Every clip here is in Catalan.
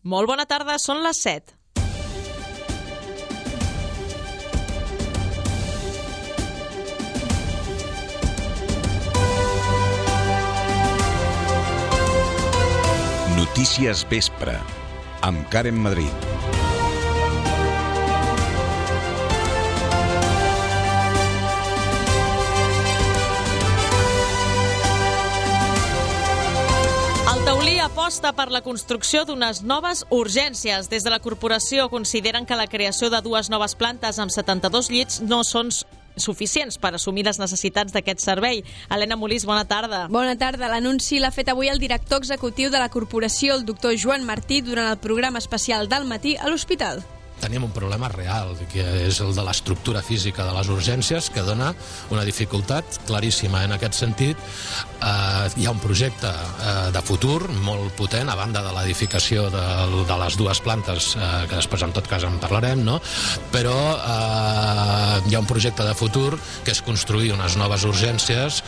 Molt bona tarda, són les 7. Notícies Vespre, amb Karen Madrid. El Taulí aposta per la construcció d'unes noves urgències. Des de la corporació consideren que la creació de 2 noves plantes amb 72 llits no són suficients per assumir les necessitats d'aquest servei. Helena Molís, bona tarda. Bona tarda. L'anunci l'ha fet avui el director executiu de la corporació, el doctor Joan Martí, durant el programa especial del matí a l'hospital. Tenim un problema real, que és el de l'estructura física de les urgències, que dona una dificultat claríssima. En aquest sentit, hi ha un projecte de futur molt potent, a banda de l'edificació de les 2 plantes, que després en tot cas en parlarem, no? Però hi ha un projecte de futur que és construir unes noves urgències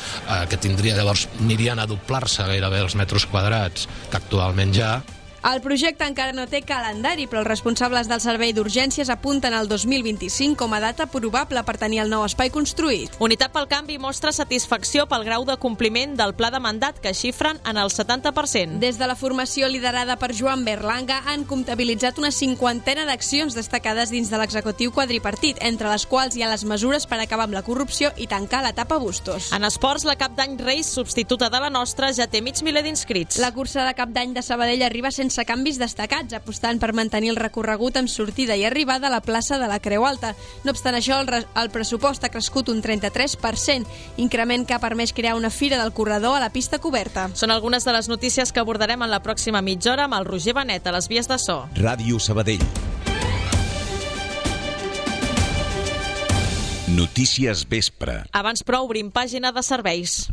que llavors anirien a doblar-se gairebé els metres quadrats que actualment hi ha. El projecte encara no té calendari, però els responsables del servei d'urgències apunten al 2025 com a data probable per tenir el nou espai construït. Unitat pel Canvi mostra satisfacció pel grau de compliment del pla de mandat, que xifren en el 70%. Des de la formació liderada per Joan Berlanga han comptabilitzat una 50ena d'accions destacades dins de l'executiu quadripartit, entre les quals hi ha les mesures per acabar amb la corrupció i tancar l'etapa Bustos. En esports, la Cap d'Any Reis, substituta de la nostra, ja té mig miler d'inscrits. La cursa de Cap d'Any de Sabadell arriba sense canvis destacats, apostant per mantenir el recorregut amb sortida i arribada a la plaça de la Creu Alta. No obstant això, el pressupost ha crescut un 33%, increment que ha permès crear una fira del corredor a la pista coberta. Són algunes de les notícies que abordarem en la pròxima mitja hora amb el Roger Benet a les vies de so. Ràdio Sabadell. Notícies Vespre. Abans però obrim pàgina de serveis.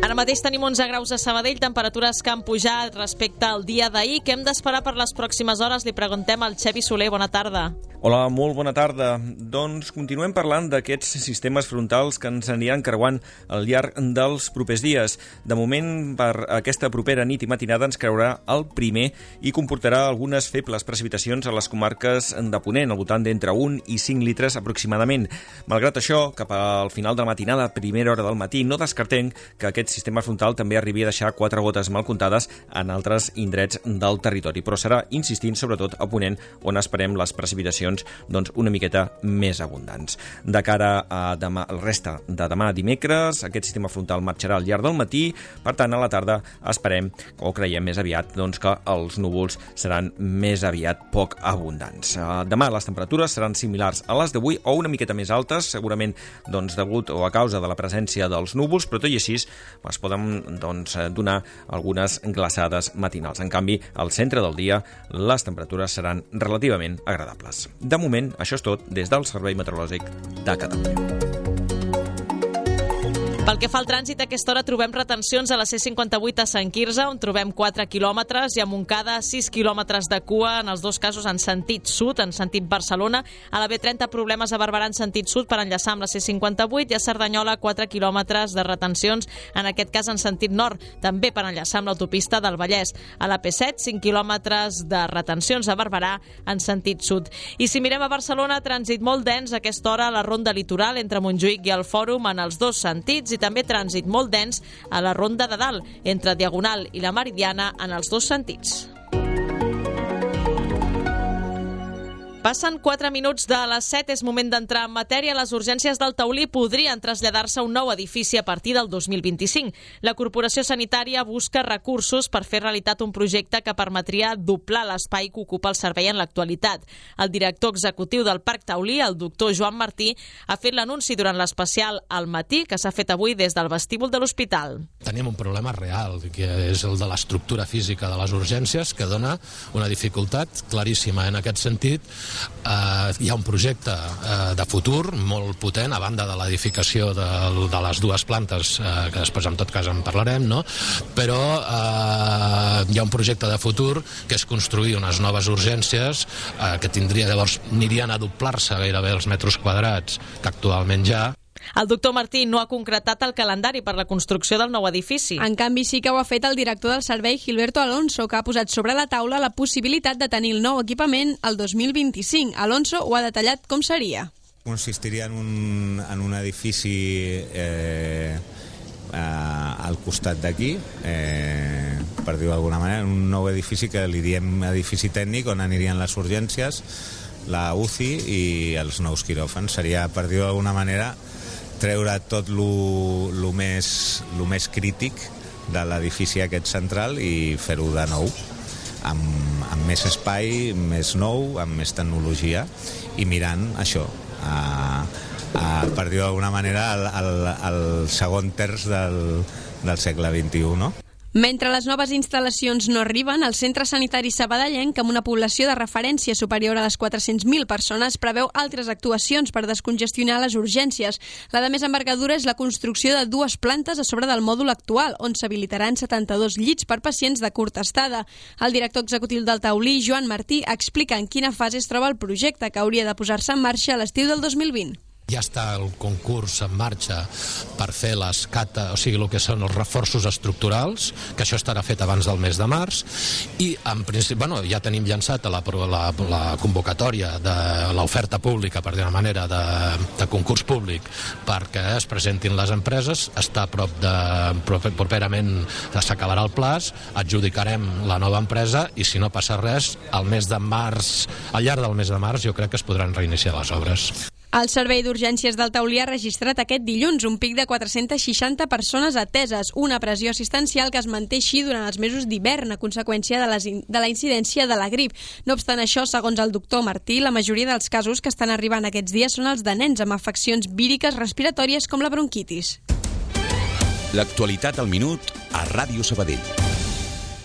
Ara mateix tenim 11 graus a Sabadell, temperatures que han pujat respecte al dia d'ahir. Què hem d'esperar per les pròximes hores? Li preguntem al Xevi Soler. Bona tarda. Hola, molt bona tarda. Doncs continuem parlant d'aquests sistemes frontals que ens aniran creuant al llarg dels propers dies. De moment, per aquesta propera nit i matinada ens creurà el primer i comportarà algunes febles precipitacions a les comarques de Ponent, al voltant d'entre 1 i 5 litres aproximadament. Malgrat això, cap al final de la matinada, primera hora del matí, no descartem que aquest sistema frontal també arribi a deixar 4 gotes mal comptades en altres indrets del territori, però serà insistint sobretot a Ponent, on esperem les precipitacions una miqueta més abundants. De cara a demà, el resta de demà dimecres, aquest sistema frontal marxarà al llarg del matí, per tant a la tarda esperem, o creiem més aviat, que els núvols seran més aviat poc abundants. Demà les temperatures seran similars a les d'avui o una miqueta més altes, segurament degut o a causa de la presència dels núvols, però tot i així es poden donar algunes glaçades matinals. En canvi, al centre del dia les temperatures seran relativament agradables. De moment, això és tot des del Servei Meteorològic de Catalunya. Pel que fa al trànsit, a aquesta hora trobem retencions a la C58 a Sant Quirze, on trobem 4 quilòmetres, i a Montcada 6 quilòmetres de cua, en els dos casos en sentit sud, en sentit Barcelona. A la B30 problemes a Barberà en sentit sud per enllaçar amb la C58, i a Cerdanyola 4 quilòmetres de retencions, en aquest cas en sentit nord, també per enllaçar amb l'autopista del Vallès. A la P7, 5 quilòmetres de retencions a Barberà en sentit sud. I si mirem a Barcelona, trànsit molt dens a aquesta hora a la ronda litoral entre Montjuïc i el Fòrum en els dos sentits, i també trànsit molt dens a la Ronda de Dalt, entre Diagonal i la Meridiana en els dos sentits. Passen 4 minuts de les 7, és moment d'entrar en matèria. Les urgències del Taulí podrien traslladar-se a un nou edifici a partir del 2025. La Corporació Sanitària busca recursos per fer realitat un projecte que permetria doblar l'espai que ocupa el servei en l'actualitat. El director executiu del Parc Taulí, el doctor Joan Martí, ha fet l'anunci durant l'especial al matí que s'ha fet avui des del vestíbul de l'hospital. Tenim un problema real, que és el de l'estructura física de les urgències, que dona una dificultat claríssima. En aquest sentit, hi ha un projecte de futur molt potent, a banda de l'edificació de les 2 plantes, que després en tot cas en parlarem, no? Però hi ha un projecte de futur que és construir unes noves urgències que llavors anirien a doblar-se gairebé els metres quadrats que actualment hi ha. El doctor Martí no ha concretat el calendari per la construcció del nou edifici. En canvi, sí que ho ha fet el director del servei, Gilberto Alonso, que ha posat sobre la taula la possibilitat de tenir el nou equipament el 2025. Alonso ho ha detallat com seria. Consistiria en un edifici al costat d'aquí, per dir-ho d'alguna manera, un nou edifici que li diem edifici tècnic, on anirien les urgències, la UCI i els nous quiròfans. Seria, per dir-ho d'alguna manera, treure tot lo més crític de l'edifici aquest central i fer-ho de nou, amb més espai, més nou, amb més tecnologia, i mirant això, per dir-ho d'alguna manera, el segon terç del segle XXI, no? Mentre les noves instal·lacions no arriben, el Centre Sanitari Sabadellenc, amb una població de referència superior a les 400.000 persones, preveu altres actuacions per descongestionar les urgències. La de més envergadura és la construcció de 2 plantes a sobre del mòdul actual, on s'habilitaran 72 llits per pacients de curta estada. El director executiu del Taulí, Joan Martí, explica en quina fase es troba el projecte, que hauria de posar-se en marxa a l'estiu del 2020. Ja està el concurs en marxa per fer les cata, o sigui, el que són els reforços estructurals, que això estarà fet abans del mes de març, i en principi, ja tenim llançat la convocatòria de l'oferta pública, per dir una manera, de concurs públic perquè es presentin les empreses. Està a prop properament s'acabarà el plaç, adjudicarem la nova empresa i, si no passa res, al llarg del mes de març jo crec que es podran reiniciar les obres. El Servei d'Urgències del Taulí ha registrat aquest dilluns un pic de 460 persones ateses, una pressió assistencial que es manté així durant els mesos d'hivern a conseqüència de la incidència de la grip. No obstant això, segons el doctor Martí, la majoria dels casos que estan arribant aquests dies són els de nens amb afeccions víriques respiratòries com la bronquitis. L'actualitat al minut a Ràdio Sabadell.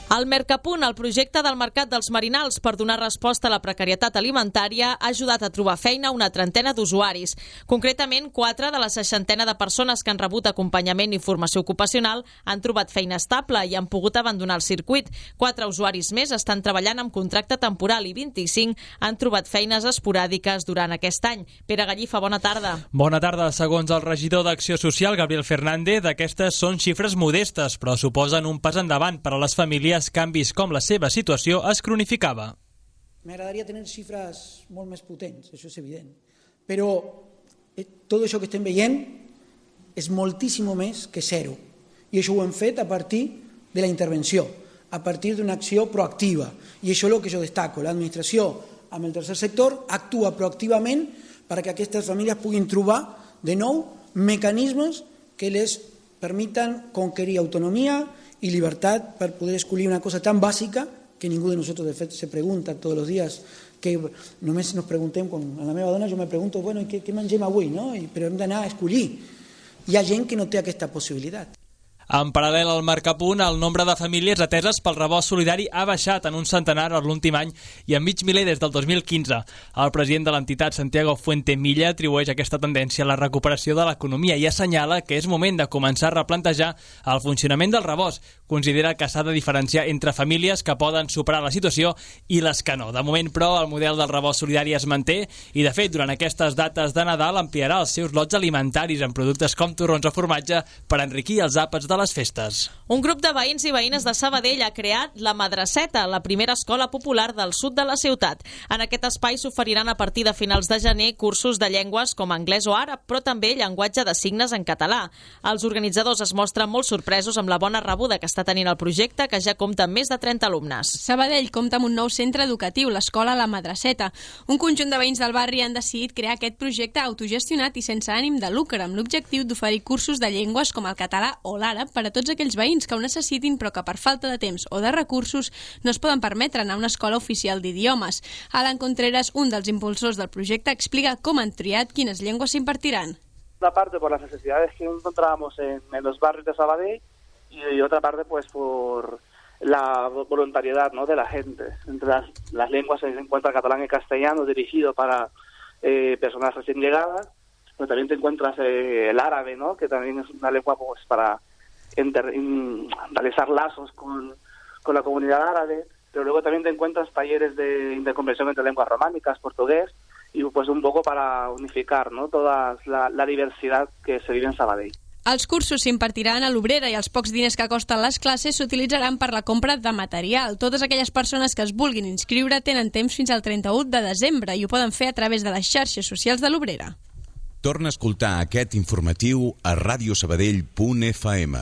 El Mercapunt, el projecte del Mercat dels Marinals per donar resposta a la precarietat alimentària, ha ajudat a trobar feina a una trentena d'usuaris. Concretament, 4 de la 60 de persones que han rebut acompanyament i formació ocupacional han trobat feina estable i han pogut abandonar el circuit. 4 usuaris més estan treballant amb contracte temporal i 25 han trobat feines esporàdiques durant aquest any. Pere Gallifa, bona tarda. Bona tarda. Segons el regidor d'Acció Social, Gabriel Fernández, aquestes són xifres modestes, però suposen un pas endavant per a les famílies que han vist com la seva situació es cronificava. M'agradaria tenir xifres molt més potents, això és evident, però tot això que estem veient és moltíssim més que zero, i això ho hem fet a partir de la intervenció, a partir d'una acció proactiva, i això és el que jo destaco. L'administració amb el tercer sector actua proactivament perquè aquestes famílies puguin trobar de nou mecanismes que les permitan conquerir autonomia y libertad para poder escollir una cosa tan básica que ningú de nosotros de fet se pregunta tots els dies, que només nos preguntem, a la meva dona jo me pregunto, bueno, què mengem avui, no? Però hem d'anar a escollir. Hi ha gent que no té aquesta possibilitat. En paral·lel al Mercapunt, el nombre de famílies ateses pel rebost solidari ha baixat en un centenar en l'últim any i en mig miler des del 2015. El president de l'entitat, Santiago Fuentemilla, atribueix aquesta tendència a la recuperació de l'economia i assenyala que és moment de començar a replantejar el funcionament del rebost. Considera que s'ha de diferenciar entre famílies que poden superar la situació i les que no. De moment, però, el model del rebost solidari es manté i, de fet, durant aquestes dates de Nadal ampliarà els seus lots alimentaris en productes com torrons o formatge per enriquir els àpats de les festes. Un grup de veïns i veïnes de Sabadell ha creat la Madraceta, la primera escola popular del sud de la ciutat. En aquest espai s'oferiran a partir de finals de gener cursos de llengües com anglès o àrab, però també llenguatge de signes en català. Els organitzadors es mostren molt sorpresos amb la bona rebuda que està tenint el projecte, que ja compta amb més de 30 alumnes. Sabadell compta amb un nou centre educatiu, l'escola La Madraceta. Un conjunt de veïns del barri han decidit crear aquest projecte autogestionat i sense ànim de lucre, amb l'objectiu d'oferir cursos de llengües com el català o l'àrab per a tots aquells veïns que ho necessitin però que per falta de temps o de recursos no es poden permetre anar a una escola oficial d'idiomes. Alan Contreras, un dels impulsors del projecte, explica com han triat quines llengües s'impartiran. Una parte por las necesidades que encontrábamos en los barrios de Sabadell y otra parte pues por la voluntariedad, ¿no?, de la gente. Entre las lenguas se encuentra el catalán y el castellano dirigido para personas recién llegadas, pero también te encuentras el árabe, ¿no?, que también es una lengua pues para realizar lazos con la comunidad árabe, pero luego también te encuentras talleres de intercomprensión entre lenguas románicas, portugués, y pues un poco para unificar, ¿no?, toda la diversidad que se vive en Sabadell. Els cursos s'impartiran a l'Obrera i els pocs diners que costen les classes s'utilitzaran per la compra de material. Totes aquelles persones que es vulguin inscriure tenen temps fins al 31 de desembre i ho poden fer a través de les xarxes socials de l'Obrera. Torna a escoltar aquest informatiu a radiosabadell.fm.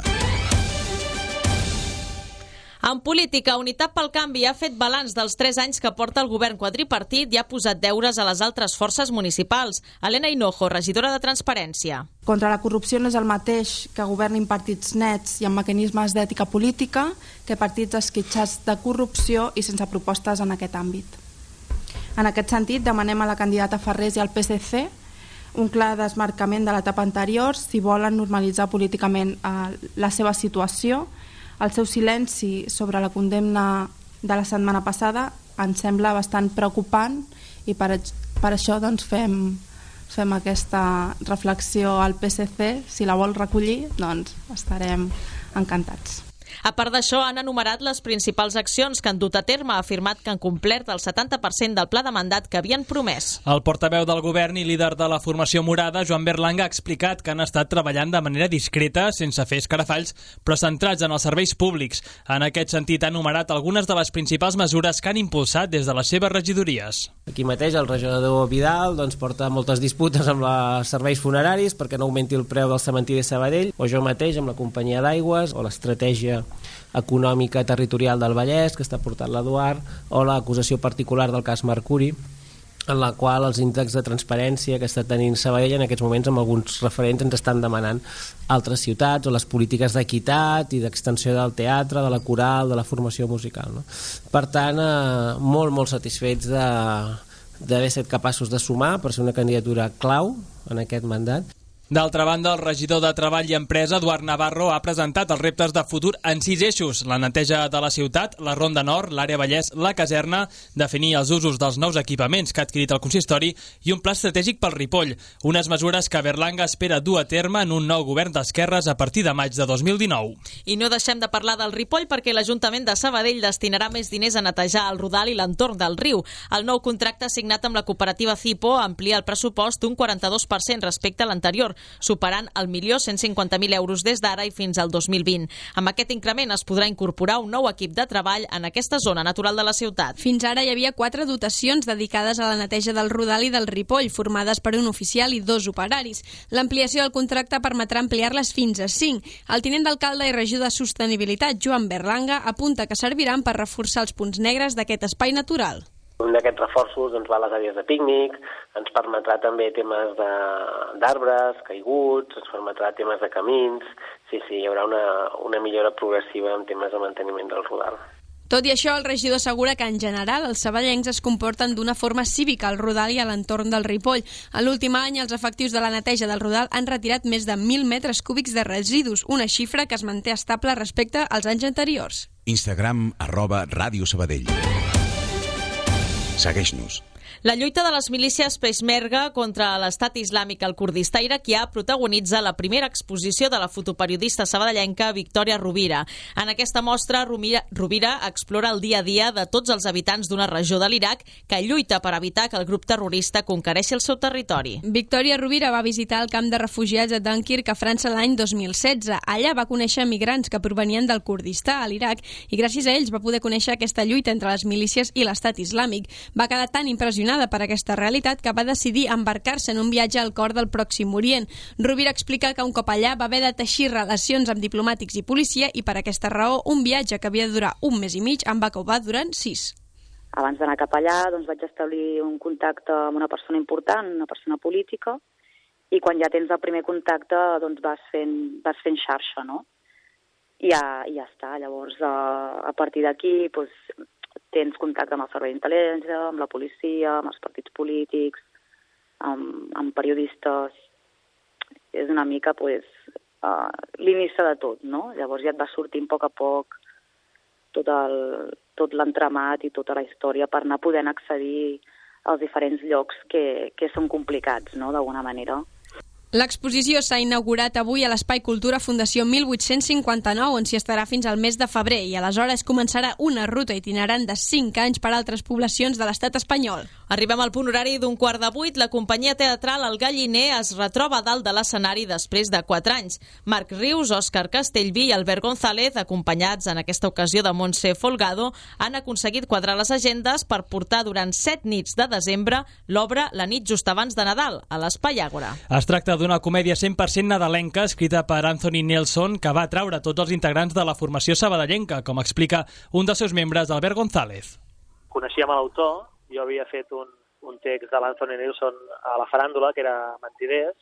En política, Unitat pel Canvi ha fet balanç dels 3 anys que porta el govern quadripartit i ha posat deures a les altres forces municipals. Helena Hinojo, regidora de Transparència. Contra la corrupció no és el mateix que governin partits nets i amb mecanismes d'ètica política que partits esquitxats de corrupció i sense propostes en aquest àmbit. En aquest sentit, demanem a la candidata Farrés i al PSC un clar desmarcament de l'etapa anterior si volen normalitzar políticament la seva situació. El seu silenci sobre la condemna de la setmana passada ens sembla bastant preocupant i per això doncs, fem aquesta reflexió al PSC. Si la vol recollir, doncs estarem encantats. A part d'això, han enumerat les principals accions que han dut a terme, ha afirmat que han complert el 70% del pla de mandat que havien promès. El portaveu del govern i líder de la formació morada, Joan Berlanga, ha explicat que han estat treballant de manera discreta, sense fer escarafalls, però centrats en els serveis públics. En aquest sentit, ha enumerat algunes de les principals mesures que han impulsat des de les seves regidories. Aquí mateix el regidor Vidal porta moltes disputes amb els serveis funeraris perquè no augmenti el preu del cementiri de Sabadell, o jo mateix amb la companyia d'aigües, o l'estratègia econòmica territorial del Vallès que està portant l'Eduard, o l'acusació particular del cas Mercuri, en la qual els índexs de transparència que està tenint Sabadell en aquests moments amb alguns referents ens estan demanant altres ciutats, o les polítiques d'equitat i d'extensió del teatre, de la coral, de la formació musical, no? Per tant, molt satisfets d'haver estat capaços de sumar per ser una candidatura clau en aquest mandat. D'altra banda, el regidor de Treball i Empresa, Eduard Navarro, ha presentat els reptes de futur en 6 eixos: la neteja de la ciutat, la Ronda Nord, l'àrea Vallès, la caserna, definir els usos dels nous equipaments que ha adquirit el consistori i un pla estratègic pel Ripoll, unes mesures que Berlanga espera dur a terme en un nou govern d'esquerres a partir de maig de 2019. I no deixem de parlar del Ripoll perquè l'Ajuntament de Sabadell destinarà més diners a netejar el Rodal i l'entorn del riu. El nou contracte signat amb la cooperativa Cipo amplia el pressupost un 42% respecte a l'anterior, superant el 1.150.000 euros des d'ara i fins al 2020. Amb aquest increment es podrà incorporar un nou equip de treball en aquesta zona natural de la ciutat. Fins ara hi havia 4 dotacions dedicades a la neteja del Rodal i del Ripoll, formades per un oficial i 2 operaris. L'ampliació del contracte permetrà ampliar-les fins a 5. El tinent d'alcalde i regidor de Sostenibilitat, Joan Berlanga, apunta que serviran per reforçar els punts negres d'aquest espai natural. Un d'aquests reforços va a les àrees de pícnic, ens permetrà també temes d'arbres caiguts, ens permetrà temes de camins. Sí, hi haurà una millora progressiva en temes de manteniment del Rodal. Tot i això, el regidor assegura que en general els sabadellencs es comporten d'una forma cívica al Rodal i a l'entorn del Ripoll. En l'últim any, els efectius de la neteja del Rodal han retirat més de 1.000 metres cúbics de residus, una xifra que es manté estable respecte als anys anteriors. Instagram @radiosabadell. Segueix-nos. La lluita de les milícies Peshmerga contra l'estat islàmic al Kurdistà iraquià protagonitza la primera exposició de la fotoperiodista sabadellenca Victòria Rovira. En aquesta mostra, Rovira explora el dia a dia de tots els habitants d'una regió de l'Iraq que lluita per evitar que el grup terrorista conquereixi el seu territori. Victòria Rovira va visitar el camp de refugiats a Dunkirk a França l'any 2016. Allà va conèixer migrants que provenien del Kurdistà, a l'Iraq, i gràcies a ells va poder conèixer aquesta lluita entre les milícies i l'estat islàmic. Va quedar tan impressionada per aquesta realitat que va decidir embarcar-se en un viatge al cor del Pròxim Orient. Rovira explica que un cop allà va haver de teixir relacions amb diplomàtics i policia i per aquesta raó un viatge que havia de durar 1 mes i mig en va acabar durant 6. Abans d'anar cap allà vaig establir un contacte amb una persona important, una persona política, i quan ja tens el primer contacte vas fent xarxa, no? I ja està. Llavors, a partir d'aquí, tens contacte amb el servei d'intel·ligència, amb la policia, amb els partits polítics, amb periodistes. És una mica l'inici de tot, no? Llavors ja et va sortint a poc tot l'entramat i tota la història per anar podent accedir als diferents llocs que són complicats, no?, d'alguna manera. L'exposició s'ha inaugurat avui a l'Espai Cultura Fundació 1859, on s'hi estarà fins al mes de febrer, i aleshores començarà una ruta itinerant de 5 anys per altres poblacions de l'estat espanyol. Arribem al punt horari d'un 7:15. La companyia teatral El Galliner es retroba dalt de l'escenari després de 4 anys. Marc Rius, Òscar Castellví i Albert González, acompanyats en aquesta ocasió de Montse Folgado, han aconseguit quadrar les agendes per portar durant 7 nits de desembre l'obra La nit just abans de Nadal, a l'Espai Àgora. Es tracta d'una comèdia 100% nadalenca escrita per Anthony Nelson que va atraure tots els integrants de la formació sabadellenca, com explica un dels seus membres, Albert González. Coneixíem l'autor. Jo havia fet un text de l'Anthony Nelson a la faràndula, que era Mentiders,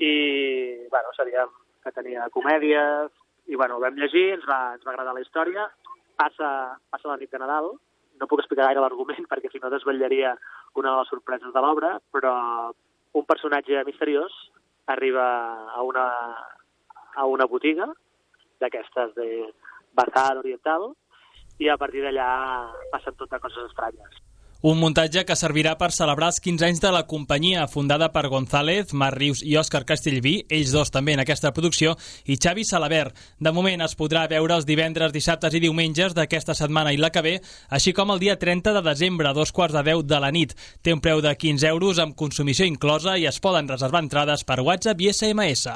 i sabíem que tenia comèdies, i ho vam llegir, ens va agradar la història. Passa la nit de Nadal, no puc explicar gaire l'argument perquè si no desvetllaria una de les sorpreses de l'obra, però un personatge misteriós arriba a una botiga d'aquestes de bazar oriental i a partir d'allà passen totes coses estranyes. Un muntatge que servirà per celebrar els 15 anys de la companyia, fundada per González, Marc Rius i Òscar Castellví, ells dos també en aquesta producció, i Xavi Salabert. De moment es podrà veure els divendres, dissabtes i diumenges d'aquesta setmana i la que ve, així com el dia 30 de desembre a 9:45 de la nit. Té un preu de 15 euros amb consumició inclosa i es poden reservar entrades per WhatsApp i SMS.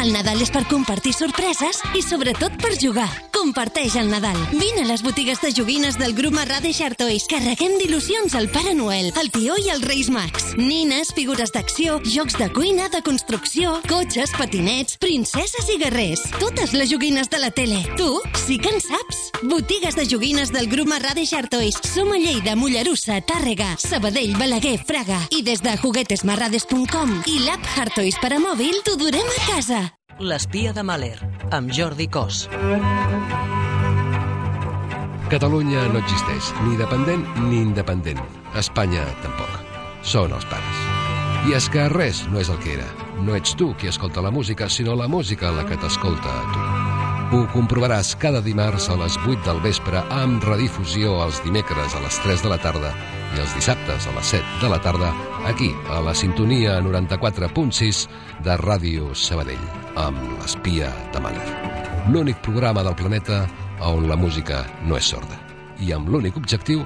El Nadal és per compartir sorpreses i sobretot per jugar. Comparteix el Nadal. Vine a les botigues de joguines del grup Marrades Toys. Carreguem d'il·lusions al Pare Noel, el Tió i els Reis Mags. Nines, figures d'acció, jocs de cuina, de construcció, cotxes, patinets, princeses i guerrers. Totes les joguines de la tele. Tu sí que en saps. Botigues de joguines del grup Marrades Toys. Som a Lleida, Mollerussa, Tàrrega, Sabadell, Balaguer, Fraga. I des de juguetesmarrades.com i l'app Hartoys per a mòbil t'ho durem a casa. L'espia de Mahler, amb Jordi Cos. Catalunya no existeix, ni dependent ni independent. Espanya tampoc. Són els pares. I és que res no és el que era. No ets tu qui escolta la música, sinó la música la que t'escolta a tu. Ho comprovaràs cada dimarts a les 8 del vespre amb redifusió els dimecres a les 3 de la tarda i els dissabtes a les 7 de la tarda aquí, a la sintonia 94.6 de Ràdio Sabadell, amb l'espia de Mahler. L'únic programa del planeta on la música no és sorda i amb l'únic objectiu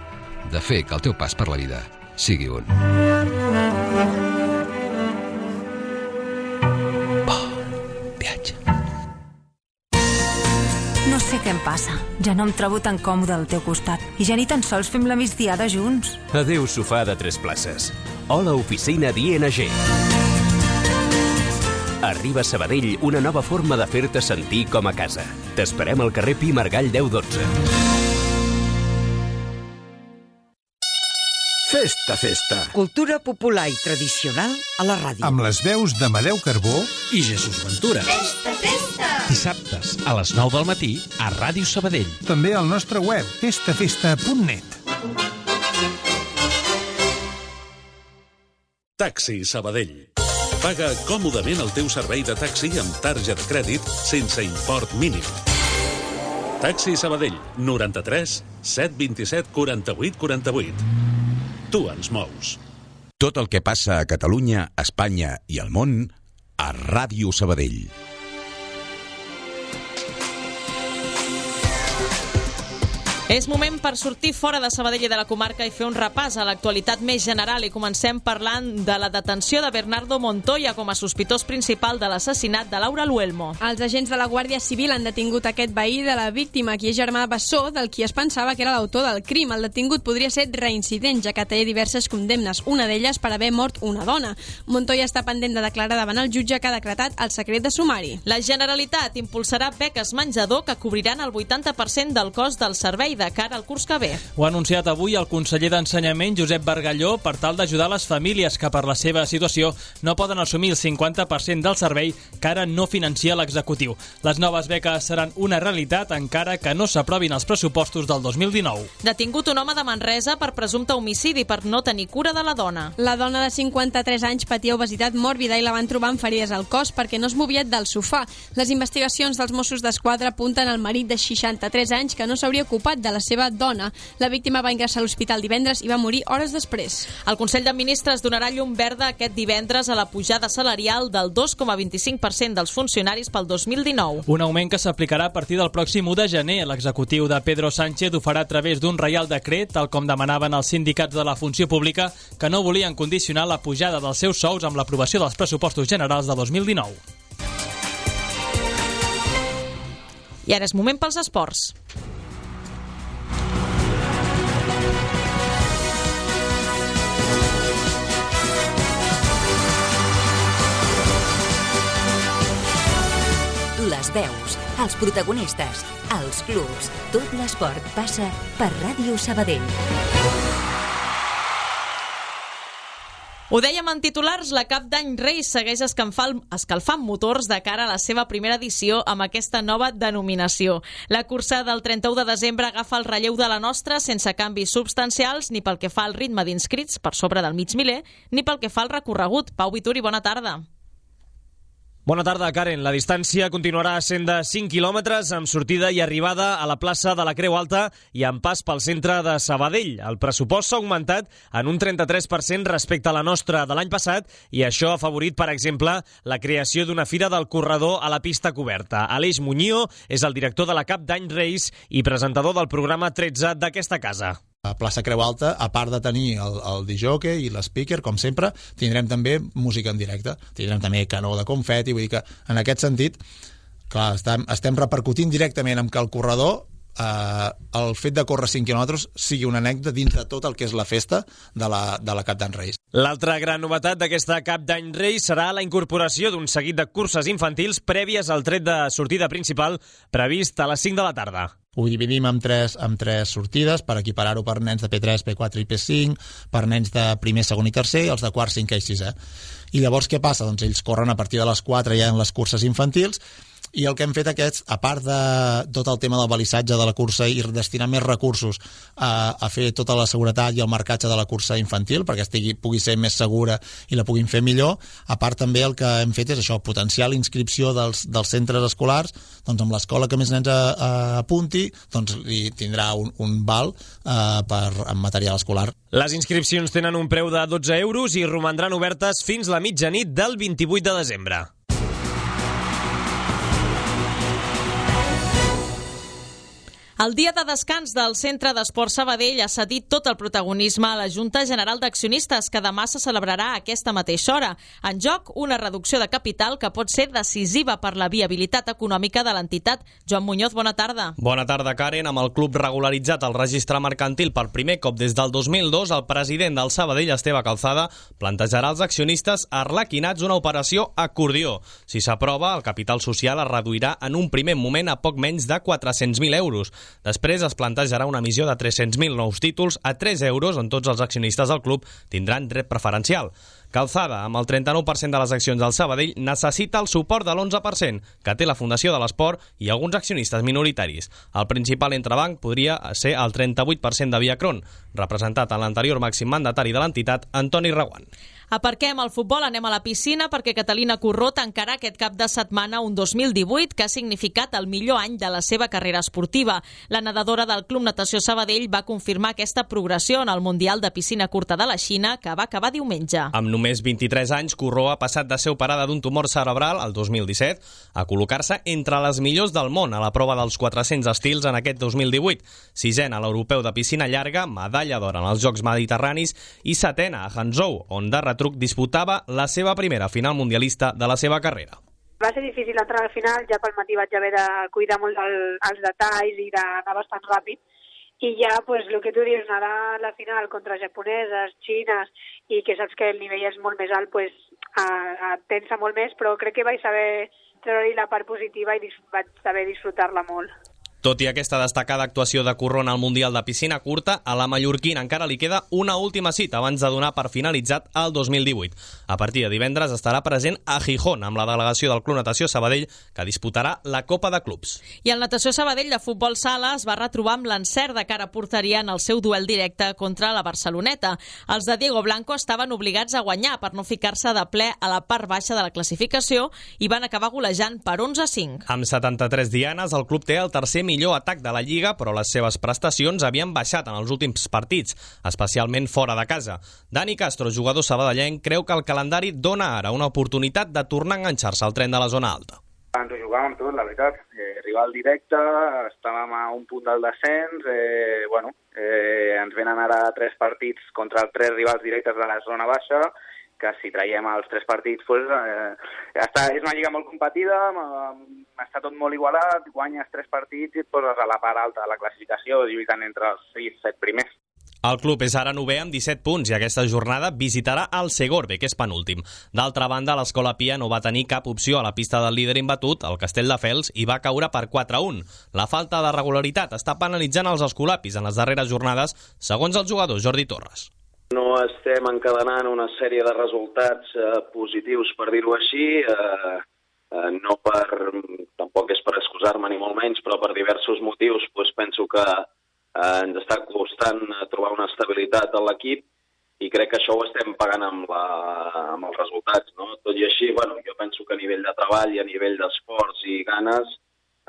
de fer que el teu pas per la vida sigui un bon viatge. No sé què em passa. Ja no em trobo tan còmode al teu costat i ja ni tan sols fem la migdiada junts. Adéu sofà de 3 places. Hola oficina d'ING. Arriba a Sabadell una nova forma de fer-te sentir com a casa. T'esperem al carrer Pi Margall 1012. Festa, festa. Cultura popular i tradicional a la ràdio. Amb les veus d'Amadeu Carbó i Jesús Ventura. Festa, festa. Dissabtes a les 9 del matí a Ràdio Sabadell. També al nostre web, festafesta.net. Taxi Sabadell. Paga còmodament el teu servei de taxi amb tarja de crèdit sense import mínim. Taxi Sabadell, 93 727 48 48. Tu ens mous. Tot el que passa a Catalunya, Espanya i al món a Ràdio Sabadell. És moment per sortir fora de Sabadell i de la comarca i fer un repàs a l'actualitat més general i comencem parlant de la detenció de Bernardo Montoya com a sospitós principal de l'assassinat de Laura Luelmo. Els agents de la Guàrdia Civil han detingut aquest veí de la víctima, qui és germà bessó del qui es pensava que era l'autor del crim. El detingut podria ser reincident, ja que té diverses condemnes, una d'elles per haver mort una dona. Montoya està pendent de declarar davant el jutge que ha decretat el secret de sumari. La Generalitat impulsarà beques menjador que cobriran el 80% del cost del servei de cara al curs que ve. Ho ha anunciat avui el conseller d'Ensenyament, Josep Bargalló, per tal d'ajudar les famílies que per la seva situació no poden assumir el 50% del servei que ara no financia l'executiu. Les noves beques seran una realitat encara que no s'aprovin els pressupostos del 2019. Detingut un home de Manresa per presumpte homicidi per no tenir cura de la dona. La dona de 53 anys patia obesitat mòrbida i la van trobar amb ferides al cos perquè no es movia del sofà. Les investigacions dels Mossos d'Esquadra apunten al marit de 63 anys que no s'hauria ocupat de de la seva dona. La víctima va ingressar a l'hospital divendres i va morir hores després. El Consell de Ministres donarà llum verda aquest divendres a la pujada salarial del 2,25% dels funcionaris pel 2019. Un augment que s'aplicarà a partir del pròxim 1 de gener. L'executiu de Pedro Sánchez ho farà a través d'un reial decret, tal com demanaven els sindicats de la funció pública, que no volien condicionar la pujada dels seus sous amb l'aprovació dels pressupostos generals de 2019. I ara és moment pels esports. Les veus, els protagonistes, els clubs, tot l'esport passa per Ràdio Sabadell. Ho dèiem en titulars, la Cap d'Any Reis segueix escalfant motors de cara a la seva primera edició amb aquesta nova denominació. La cursa del 31 de desembre agafa el relleu de la nostra sense canvis substancials ni pel que fa al ritme d'inscrits per sobre del mig miler ni pel que fa al recorregut. Pau Vituri, bona tarda. Bona tarda, Karen. La distància continuarà sent de 5 quilòmetres amb sortida i arribada a la plaça de la Creu Alta i amb pas pel centre de Sabadell. El pressupost s'ha augmentat en un 33% respecte a la nostra de l'any passat i això ha afavorit, per exemple, la creació d'una fira del corredor a la pista coberta. Aleix Muñío és el director de la Cap d'Any Reis i presentador del programa 13 d'aquesta casa. A plaça Creu Alta, a part de tenir el disjockey i l'speaker, com sempre, tindrem també música en directe. Tindrem també canó de confeti, vull dir que en aquest sentit, clar, estem repercutint directament amb que el corredor, el fet de córrer 5 quilòmetres sigui una anècdota dins de tot el que és la festa de la Cap d'Any Reis. L'altra gran novetat d'aquesta Cap d'Any Reis serà la incorporació d'un seguit de curses infantils prèvies al tret de sortida principal previst a les 5 de la tarda. Ho dividim amb tres sortides per equiparar-ho per nens de P3, P4 i P5, per nens de primer, segon i tercer i els de quart, cinquè i sisè. I llavors què passa? Doncs ells corren a partir de les 4 ja en les curses infantils i el que hem fet aquests, a part de tot el tema del balissatge de la cursa i destinar més recursos a fer tota la seguretat i el marcatge de la cursa infantil perquè pugui ser més segura i la puguin fer millor, a part també el que hem fet és això, potenciar la inscripció dels centres escolars, doncs amb l'escola que més nens apunti, doncs li tindrà un val en material escolar. Les inscripcions tenen un preu de 12 euros i romandran obertes fins la mitjanit del 28 de desembre. El dia de descans del Centre d'Esport Sabadell ha cedit tot el protagonisme a la Junta General d'Accionistes, que demà se celebrarà a aquesta mateixa hora. En joc, una reducció de capital que pot ser decisiva per la viabilitat econòmica de l'entitat. Joan Muñoz, bona tarda. Bona tarda, Karen. Amb el club regularitzat al registre mercantil per primer cop des del 2002, el president del Sabadell, Esteve Calzada, plantejarà als accionistes arlequinats una operació acordió. Si s'aprova, el capital social es reduirà en un primer moment a poc menys de 400.000 euros. Després es plantejarà una emissió de 300.000 nous títols a 3 euros on tots els accionistes del club tindran dret preferencial. Calzada, amb el 39% de les accions del Sabadell, necessita el suport de l'11% que té la Fundació de l'Esport i alguns accionistes minoritaris. El principal entrebanc podria ser el 38% de Viacron, representat en l'anterior màxim mandatari de l'entitat, Antoni Reguant. Aparquem el futbol, anem a la piscina perquè Catalina Corró tancarà aquest cap de setmana un 2018 que ha significat el millor any de la seva carrera esportiva. La nedadora del Club Natació Sabadell va confirmar aquesta progressió en el Mundial de Piscina Curta de la Xina que va acabar diumenge. Amb només 23 anys, Corró ha passat de ser operada d'un tumor cerebral el 2017 a col·locar-se entre les millors del món a la prova dels 400 estils en aquest 2018. Sisena a l'europeu de piscina llarga, medalla d'or en els Jocs Mediterranis i setena a Hangzhou, on de retruc disputava la seva primera final mundialista de la seva carrera. Va ser difícil entrar al final, ja pel matí vaig haver de cuidar molt els detalls i d'anar bastant ràpid. I ja, pues, el que tu dius, nedar a la final contra japoneses, xines, i que saps que el nivell és molt més alt, pues, tensa molt més, però crec que vaig saber treure-hi la part positiva i vaig saber disfrutar-la molt. Tot i aquesta destacada actuació de Corró en el Mundial de Piscina Curta, a la mallorquina encara li queda una última cita abans de donar per finalitzat el 2018. A partir de divendres estarà present a Gijón amb la delegació del Club Natació Sabadell, que disputarà la Copa de Clubs. I el Natació Sabadell de futbol sala es va retrobar amb l'encert de cara a porteria en el seu duel directe contra la Barceloneta. Els de Diego Blanco estaven obligats a guanyar per no ficar-se de ple a la part baixa de la classificació i van acabar golejant per 11-5. Amb 73 dianes, el club té el tercer millor atac de la Lliga, però les seves prestacions havien baixat en els últims partits, especialment fora de casa. Dani Castro, jugador sabadellenc, creu que el calendari dona ara una oportunitat de tornar a enganxar-se al tren de la zona alta. Ens ho jugàvem tot, la veritat. Rival directe, estàvem a un punt del descens, ens venen ara 3 partits contra 3 rivals directes de la zona baixa, que si traiem els 3 partits, és una lliga molt competida, està tot molt igualat, guanyes 3 partits i et poses a la part alta de la classificació, lluitant entre els 6-7 primers. El club és ara 9è amb 17 punts i aquesta jornada visitarà el Segorbe, que és penúltim. D'altra banda, l'Escola Pia no va tenir cap opció a la pista del líder imbatut, el Castelldefels, i va caure per 4-1. La falta de regularitat està penalitzant els escolapis en les darreres jornades, segons el jugador Jordi Torres. No estem encadenant una sèrie de resultats positius, per dir-ho així, tampoc és per excusar-me ni molt menys, però per diversos motius penso que ens està costant trobar una estabilitat a l'equip i crec que això ho estem pagant amb els resultats, no? Tot i així, jo penso que a nivell de treball i a nivell d'esforç i ganes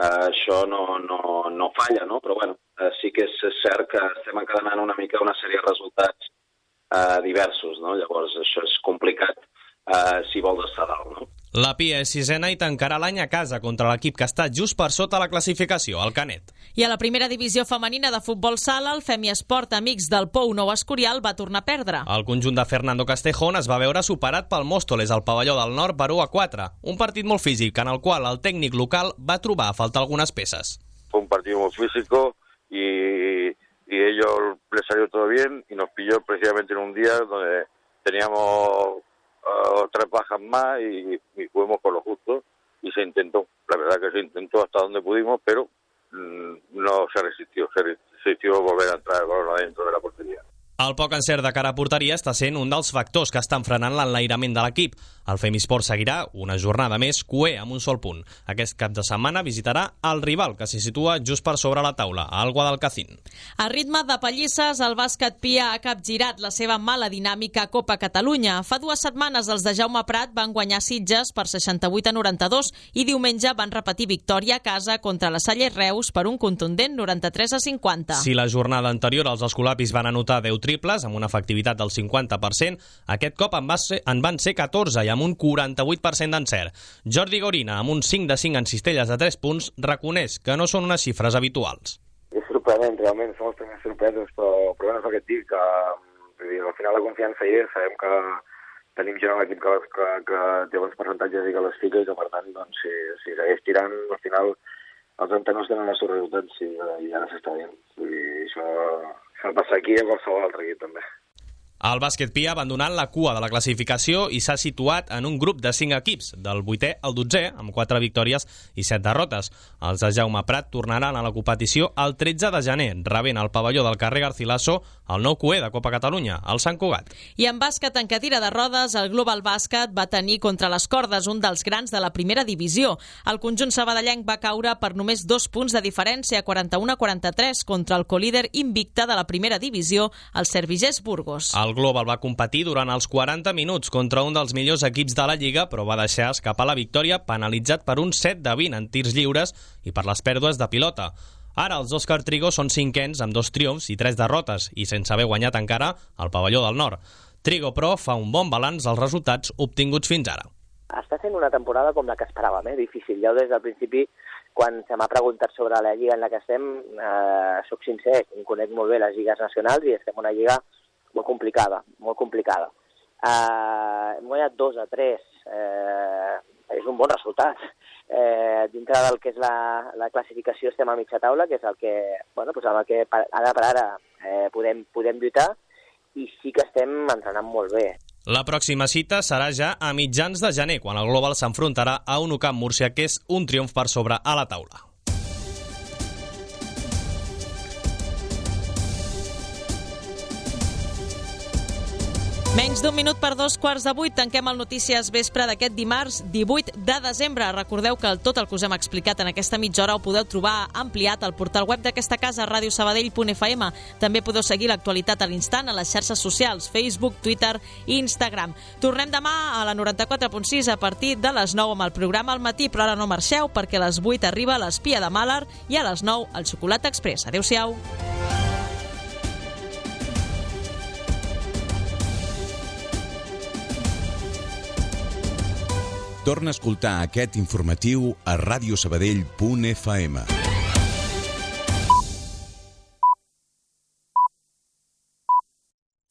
això no falla, no? Però sí que és cert que estem encadenant una mica una sèrie de resultats diversos, no? Llavors això és complicat si vols estar dalt, no? La Pia és 6ena i tancarà l'any a casa contra l'equip que està just per sota la classificació, el Canet. I a la primera divisió femenina de futbol sala, el Femiesport Amics del Pou Nou Escorial va tornar a perdre. El conjunt de Fernando Castejón es va veure superat pel Móstoles al pavelló del Nord per 1-4, un partit molt físic en el qual el tècnic local va trobar a faltar algunes peces. Fue un partido muy físico y ellos les salió todo bien y nos pilló precisamente en un día donde teníamos 3 bajas más y fuimos con lo justo y se intentó. La verdad que se intentó hasta donde pudimos, pero no se resistió volver a entrar el balón adentro de la portería. El poc encert de cara a porteria està sent un dels factors que estan frenant l'enlairament de l'equip. El Femisport seguirà una jornada més cué amb un sol punt. Aquest cap de setmana visitarà el rival, que s'hi situa just per sobre la taula, al Guadalcacín. A ritme de pallisses, el bàsquet Pia ha capgirat la seva mala dinàmica a Copa Catalunya. Fa 2 setmanes els de Jaume Prat van guanyar Sitges per 68-92 i diumenge van repetir victòria a casa contra la Salle Reus per un contundent 93-50. Si la jornada anterior els escolapis van anotar 10 triples amb una efectivitat del 50%, aquest cop en van ser 14 i amb un 48% d'encert. Jordi Gorina, amb un 5 de 5 en cistelles de 3 punts, reconeix que no són unes xifres habituals. És sorprenent, realment, som els primers sorpresos, però és el que et dic, que al final la confiança hi és, sabem que tenim gent a l'equip que té bons percentatges i que les fica i que, per tant, doncs, si segueix tirant, al final els entenors tenen els seus resultats i ara s'està dient. Vull dir, això passa aquí i a qualsevol altre equip, també. El bàsquet Pia ha abandonat la cua de la classificació i s'ha situat en un grup de 5 equips, del 8è al 12è, amb 4 victòries i 7 derrotes. Els de Jaume Prat tornaran a la competició el 13 de gener, rebent al pavelló del carrer Garcilaso el nou cué de Copa Catalunya, el Sant Cugat. I en bàsquet en cadira de rodes, el Global Bàsquet va tenir contra les cordes un dels grans de la primera divisió. El conjunt sabadellenc va caure per només 2 punts de diferència, 41-43, contra el colíder invicte de la primera divisió, el Servigés Burgos. El Global va competir durant els 40 minuts contra un dels millors equips de la Lliga, però va deixar escapar la victòria penalitzat per un 7 de 20 en tirs lliures i per les pèrdues de pilota. Ara els Òscar Trigo són 5ens amb 2 triomfs i 3 derrotes i sense haver guanyat encara al pavelló del Nord. Trigo, però, fa un bon balanç dels resultats obtinguts fins ara. Està sent una temporada com la que esperàvem, difícil. Jo des del principi, quan se m'ha preguntat sobre la lliga en la que estem, soc sincer, em conec molt bé les lligues nacionals i estem en una lliga molt complicada, molt complicada. Hem guanyat 2-3, és un bon resultat. Dintre del que és la classificació estem a mitja taula, que és el que, amb el que ara per ara podem lluitar, i sí que estem entrenant molt bé. La pròxima cita serà ja a mitjans de gener, quan el Global s'enfrontarà a un UCAM Múrcia, que és un triomf per sobre a la taula. Menys d'un minut per 7:45, tanquem el Notícies Vespre d'aquest dimarts 18 de desembre. Recordeu que tot el que us hem explicat en aquesta mitja hora ho podeu trobar ampliat al portal web d'aquesta casa, radiosabadell.fm. També podeu seguir l'actualitat a l'instant a les xarxes socials, Facebook, Twitter i Instagram. Tornem demà a la 94.6 a partir de les 9 amb el programa al matí, però ara no marxeu perquè a les 8 arriba l'Espia de Màlaga i a les 9 el Xocolata Express. Adéu-siau. Torna a escoltar aquest informatiu a radiosabadell.fm.